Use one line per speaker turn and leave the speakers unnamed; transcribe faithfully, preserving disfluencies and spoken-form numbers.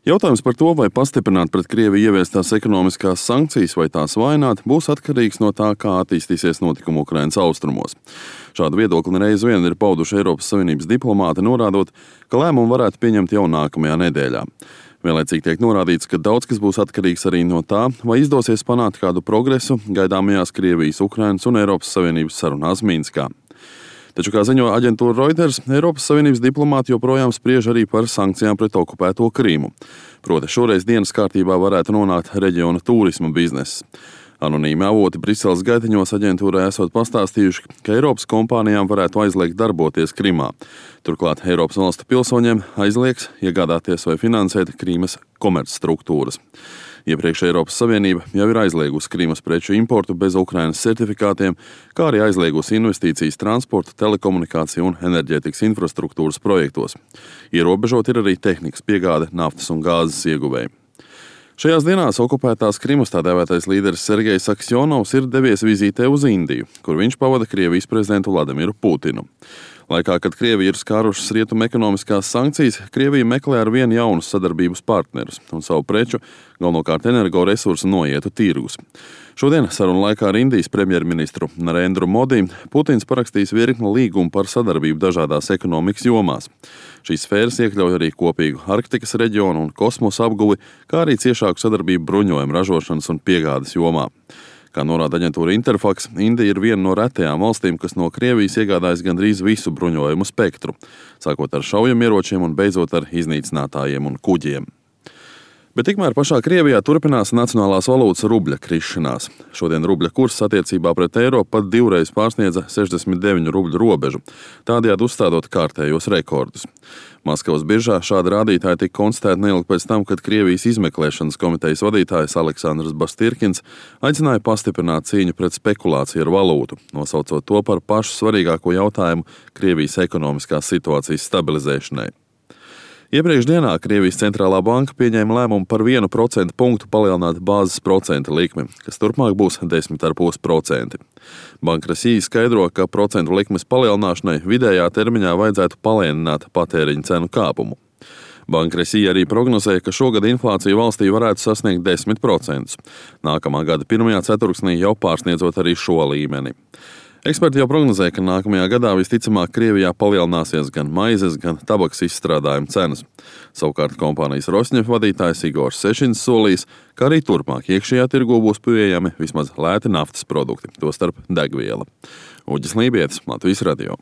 Jautājums par to, vai pastiprināt pret Krieviju ieviestās ekonomiskās sankcijas vai tās vainot, būs atkarīgs no tā, kā attīstīsies notikumi Ukrainas austrumos. Šādu viedokli reiz vien ir pauduši Eiropas Savienības diplomāti, norādot, ka lēmumu varētu pieņemt jau nākamajā nedēļā. Vienlaicīgi tiek norādīts, ka daudz kas būs atkarīgs arī no tā, vai izdosies panākt kādu progresu gaidāmajās Krievijas, Ukrainas un Eiropas Savienības sarunās Minskā. Taču, kā ziņo aģentūra Reuters, Eiropas Savienības diplomāti joprojām spriež arī par sankcijām pret okupēto Krīmu. Proti šoreiz dienas kārtībā varētu nonākt reģiona turisma bizness. Anonīmi avoti Briseles gaitiņos aģentūrai esot pastāstījuši, ka Eiropas kompānijām varētu aizliegt darboties Krimā. Turklāt Eiropas valstu pilsoņiem aizliegs iegādāties vai finansēt Krīmas komercstruktūras. Iepriekš Eiropas Savienība jau ir aizliegusi Krīmas preču importu bez Ukrainas certifikātiem, kā arī aizliegusi investīcijas transporta, telekomunikāciju un enerģētikas infrastruktūras projektos. Ierobežot ir arī tehnikas piegāde naftas un gāzes ieguvēji. Šajās dienās okupētās Krimas tā dēvētais līderis Sergejs Aksjonovs ir devies vizītē uz Indiju, kur viņš pavada Krievijas prezidentu Vladimiru Putinu. Laikā, kad Krievija ir skārušas rietumu ekonomiskās sankcijas, Krievija meklē ar vien jaunus sadarbības partnerus un savu preču, galvenokārt energoresursu noietu tirgus. Šodien sarunu laikā ar Indijas premjerministru Narendru Modi Putins parakstīs virkni līgumu par sadarbību dažādās ekonomikas jomās. Šīs sfēras iekļauj arī kopīgu Arktikas reģionu un kosmosa apguvi, kā arī ciešāku sadarbību bruņojumu ražošanas un piegādes jomā. Kā norāda aģentūra Interfax, Indija ir viena no retajām valstīm, kas no Krievijas iegādājas gandrīz visu bruņojumu spektru, sākot ar šaujamieročiem un beidzot ar iznīcinātājiem un kuģiem. Bet tikmēr pašā Krievijā turpinās nacionālās valūtas rubļa krišanās. Šodien rubļa kurs attiecībā pret eiro pat divreiz pārsniedza sešdesmit deviņu rubļu robežu, tādējādi uzstādot kārtējos rekordus. Maskavas biržā šādi rādītāji tika konstatēti neilgi pēc tam, kad Krievijas izmeklēšanas komitejas vadītājs Aleksandrs Bastirkins aicināja pastiprināt cīņu pret spekulāciju ar valūtu, nosaucot to par pašu svarīgāko jautājumu Krievijas ekonomiskās situācijas stabilizēšanai. Iepriekš dienā Krievijas centrālā banka pieņēma lēmumu par vienu procentu punktu palielināt bāzes procenta likmi, kas turpmāk būs desmit komats pieci procenti. Banka Rasija skaidro, ka procentu likmes palielināšanai vidējā termiņā vajadzētu palēnināt patēriņa cenu kāpumu. Banka Rasija arī prognozēja, ka šogad inflācija valstī varētu sasniegt desmit procentus. Nākamā gada pirmajā ceturksnī jau pārsniedzot arī šo līmeni. Eksperti jau prognozē, ka nākamajā gadā visticamāk Krievijā palielināsies gan maizes, gan tabakas izstrādājuma cenas. Savukārt kompānijas Rosņef vadītājs Igors Sešins solīs, ka arī turpmāk iekšējā tirgū būs pieejami vismaz lēti naftas produkti, tostarp degviela. Uģis Lībietis, Latvijas radio.